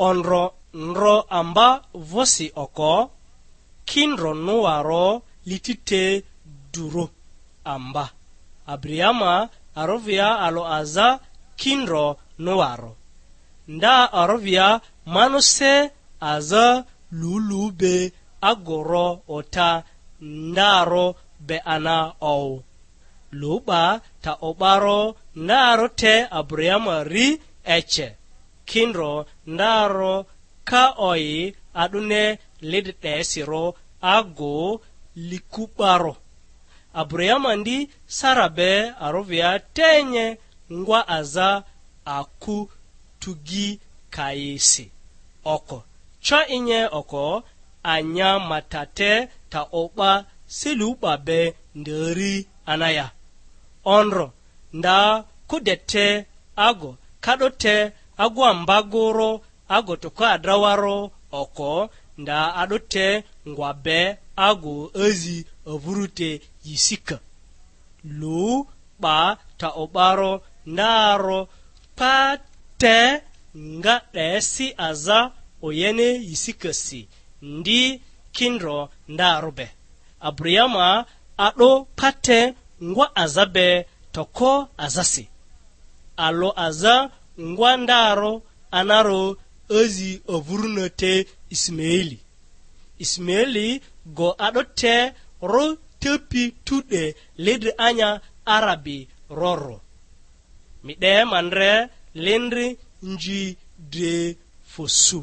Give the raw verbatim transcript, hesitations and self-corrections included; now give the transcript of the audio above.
Ondro ndro amba vᴜsi oko, kindro nᴜarᴜ liti te durᴜ amba. Abriama arovia alᴜ aza kindro nᴜarᴜ. Nda arovia manuse aza lulu be agoro ota ndarᴜ be ana owu. Lu 'ba ta o'barᴜ ndarᴜ te Abriama ri ece, kindro ndarᴜ ka oyi a'dᴜne lidi 'desirᴜ agu liku 'barᴜ. Abriama ndi Sara be arovia tenye ngwa aza aku tugi kayisi oko, co inye oko anya matate ta o'ba selu 'ba be nderi anaya. Ondro nda kudete ago ka'do te agu ambagurᴜ ago toko adrawarᴜ oko nda a'do te ngwa be ago azi avuru te yisika. Lu 'ba ta o'barᴜ ndarᴜ pa te nga 'desi aza oyene yisikasi ndi kindro ndarᴜ be. Abriama a'do pa te ngwa aza be toko azasi. Alᴜ aza ngwa ndarᴜ anarᴜ azi avurᴜna te Isimaeli. Isimaeli go a'do te ro tepi tu'de ledri anya Arabi rorᴜ. Mi 'de ma ndre lindri nji dre fosu.